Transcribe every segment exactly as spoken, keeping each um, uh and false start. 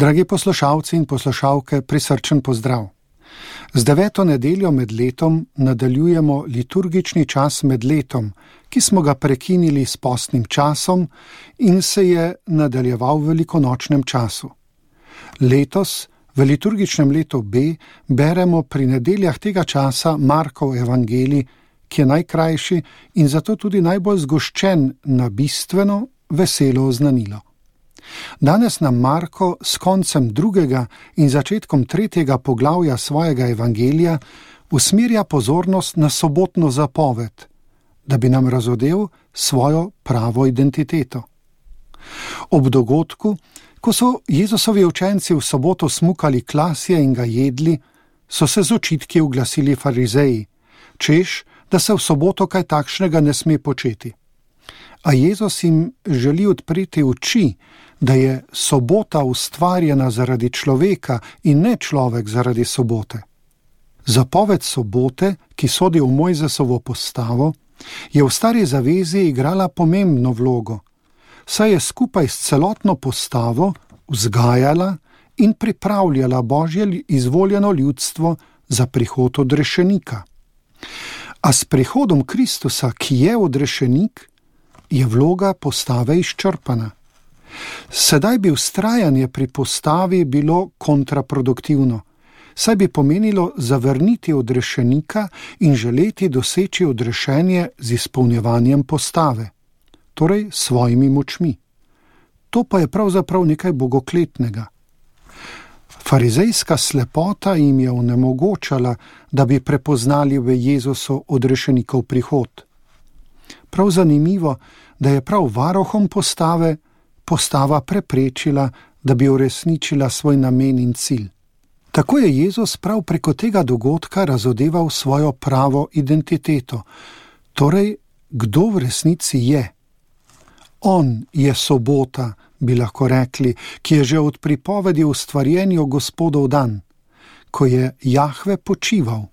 Dragi poslušalci in poslušalke, prisrčen pozdrav. Z deveto nedeljo med letom nadaljujemo liturgični čas med letom, ki smo ga prekinili s postnim časom in se je nadaljeval v velikonočnem času. Letos, v liturgičnem letu B, beremo pri nedeljah tega časa Markov evangelij, ki je najkrajši in zato tudi najbolj zgoščen na bistveno, veselo oznanilo. Danes nam Marko s koncem drugega in začetkom tretjega poglavja svojega evangelija usmerja pozornost na sobotno zapoved, da bi nam razodel svojo pravo identiteto. Ob dogodku, ko so Jezusovi učenci v soboto smukali klasje in ga jedli, so se z očitki oglasili farizeji, češ, da se v soboto kaj takšnega ne sme početi. A Jezus jim želi odpreti oči, da je sobota ustvarjena zaradi človeka in ne človek zaradi sobote. Zapoved sobote, ki sodi v Mojzesovo postavo, je v stari zavezi igrala pomembno vlogo, saj je skupaj s celotno postavo vzgajala in pripravljala Božje izvoljeno ljudstvo za prihod odrešenika. A s prihodom Kristusa, ki je odrešenik, je vloga postave izčrpana. Sedaj bi vztrajanje pri postavi bilo kontraproduktivno, saj bi pomenilo zavrniti odrešenika in želeti doseči odrešenje z izpolnjevanjem postave, torej svojimi močmi. To pa je pravzaprav nekaj bogokletnega. Farizejska slepota jim je onemogočala, da bi prepoznali v Jezusu odrešenikov prihod. Prav zanimivo, da je prav varuhom postave postava preprečila, da bi uresničila svoj namen in cilj. Tako je Jezus prav preko tega dogodka razodeval svojo pravo identiteto, torej kdo v resnici je. On je sobota, bi lahko rekli, ki je že od pripovedi o stvarjenju Gospodov dan, ko je Jahve počival.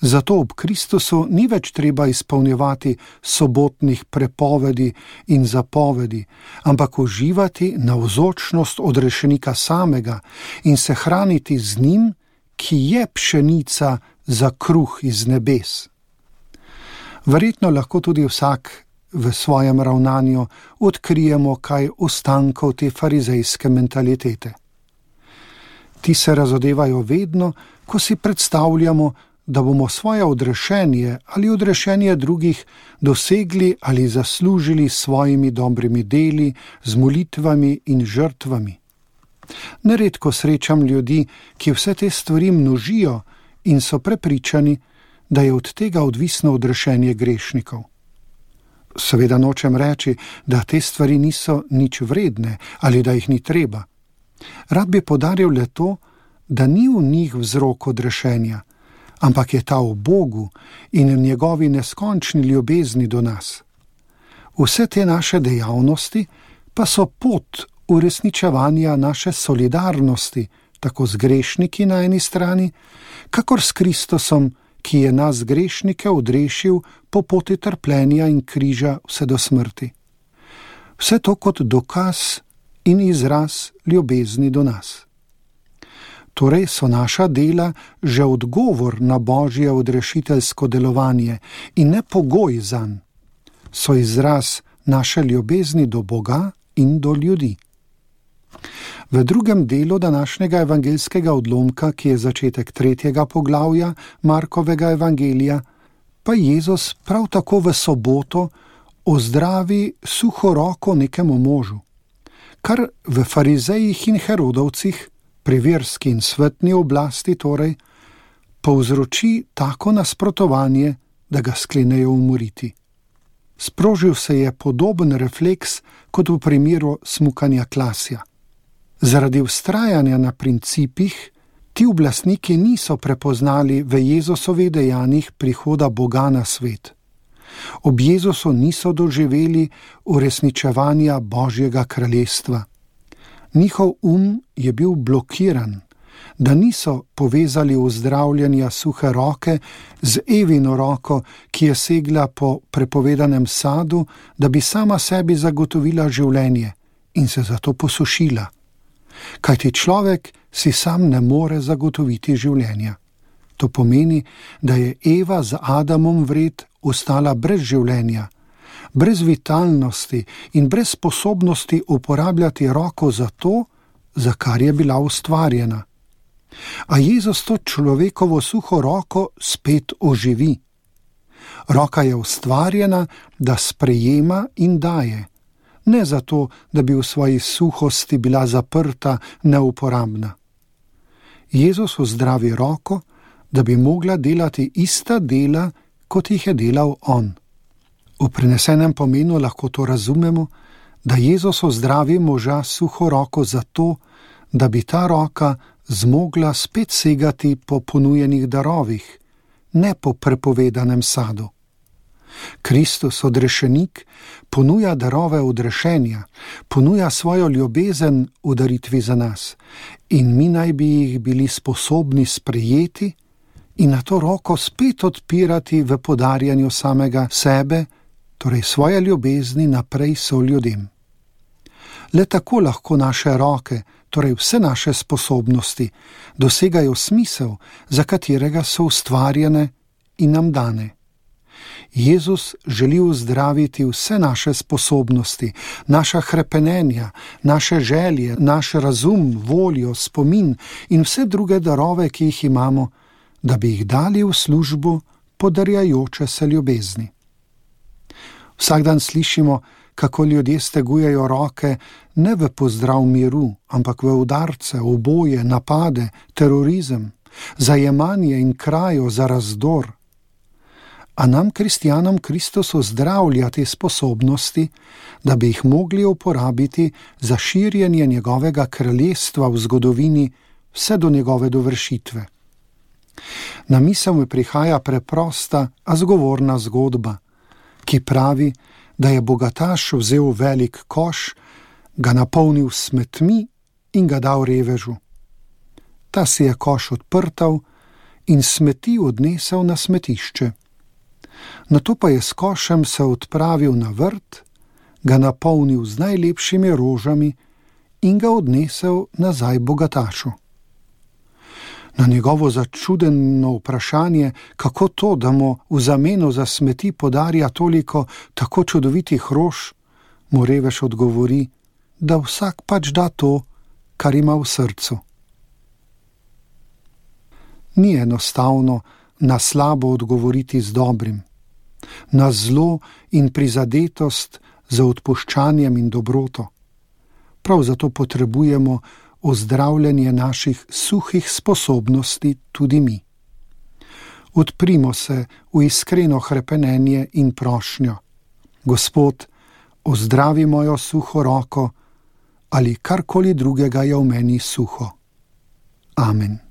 Zato ob Kristusu ni več treba izpolnjevati sobotnih prepovedi in zapovedi, ampak uživati navzočnost odrešenika samega in se hraniti z njim, ki je pšenica za kruh iz nebes. Verjetno lahko tudi vsak v svojem ravnanju odkrijemo kaj ostankov te farizejske mentalitete. Ti se razodevajo vedno, ko si predstavljamo, da bomo svoje odrešenje ali odrešenje drugih dosegli ali zaslužili s svojimi dobrimi deli, z molitvami in žrtvami. Neredko srečam ljudi, ki vse te stvari množijo in so prepričani, da je od tega odvisno odrešenje grešnikov. Seveda nočem reči, da te stvari niso nič vredne ali da jih ni treba. Rad bi poudaril le to, da ni v njih vzrok odrešenja, ampak je ta v Bogu in v njegovi neskončni ljubezni do nas. Vse te naše dejavnosti pa so pot uresničevanja naše solidarnosti, tako z grešniki na eni strani, kakor s Kristusom, ki je nas grešnike odrešil po poti trpljenja in križa vse do smrti. Vse to kot dokaz in izraz ljubezni do nas. Torej so naša dela že odgovor na Božje odrešiteljsko delovanje in ne pogoj zanj. So izraz naše ljubezni do Boga in do ljudi. V drugem delu današnjega evangeljskega odlomka, ki je začetek tretjega poglavja Markovega evangelija, pa Jezus prav tako v soboto ozdravi suho roko nekemu možu, kar v farizejih in herodovcih, pri verski in svetni oblasti torej, povzroči tako nasprotovanje, da ga sklenejo umoriti. Sprožil se je podoben refleks kot v primeru smukanja klasja. Zaradi vztrajanja na principih, ti oblastniki niso prepoznali v Jezusovih dejanjih prihoda Boga na svet. Ob Jezusu niso doživeli uresničevanja Božjega kraljestva. Njihov um je bil blokiran, da niso povezali uzdravljanja suhe roke z Evino roko, ki je segla po prepovedanem sadu, da bi sama sebi zagotovila življenje in se zato posušila. Kajti človek si sam ne more zagotoviti življenja. To pomeni, da je Eva z Adamom vred ostala brez življenja, brez vitalnosti in brez sposobnosti uporabljati roko za to, za kar je bila ustvarjena. A Jezus to človekovo suho roko spet oživi. Roka je ustvarjena, da sprejema in daje, ne zato, da bi v svoji suhosti bila zaprta, neuporabna. Jezus ozdravi roko, da bi mogla delati ista dela, kot jih je delal on. V prenesenem pomenu lahko to razumemo, da Jezus ozdravi moža suho roko zato, da bi ta roka zmogla spet segati po ponujenih darovih, ne po prepovedanem sadu. Kristus, odrešenik, ponuja darove odrešenja, ponuja svojo ljubezen v daritvi za nas in mi naj bi jih bili sposobni sprejeti in na to roko spet odpirati v podarjanju samega sebe, torej svoje ljubezni naprej soljudem. Le tako lahko naše roke, torej vse naše sposobnosti, dosegajo smisel, za katerega so ustvarjene in nam dane. Jezus želi uzdraviti vse naše sposobnosti, naša hrepenenja, naše želje, naš razum, voljo, spomin in vse druge darove, ki jih imamo, da bi jih dali v službo podarjajoče se ljubezni. Vsak dan slišimo, kako ljudje stegujejo roke ne v pozdrav miru, ampak v udarce, uboje, napade, terorizem, zajemanje in krajo za razdor. A nam, kristjanom, Kristus ozdravlja te sposobnosti, da bi jih mogli uporabiti za širjenje njegovega kraljestva v zgodovini vse do njegove dovršitve. Na misel mi prihaja preprosta, a zgovorna zgodba, ki pravi, da je bogataš vzel velik koš, ga napolnil s smetmi in ga dal revežu. Ta si je koš odprtal in smeti odnesel na smetišče. Nato pa je s košem se odpravil na vrt, ga napolnil z najlepšimi rožami in ga odnesel nazaj bogatašu. Na njegovo začudeno vprašanje, kako to, da mu v zameno za smeti podarja toliko tako čudovitih rož, mu revež odgovori, da vsak pač da to, kar ima v srcu. Ni enostavno na slabo odgovoriti z dobrim, na zlo in prizadetost za odpuščanjem in dobroto. Prav zato potrebujemo ozdravljanje naših suhih sposobnosti tudi mi. Odprimo se v iskreno hrepenenje in prošnjo. Gospod, ozdravi mojo suho roko ali karkoli drugega je v meni suho. Amen.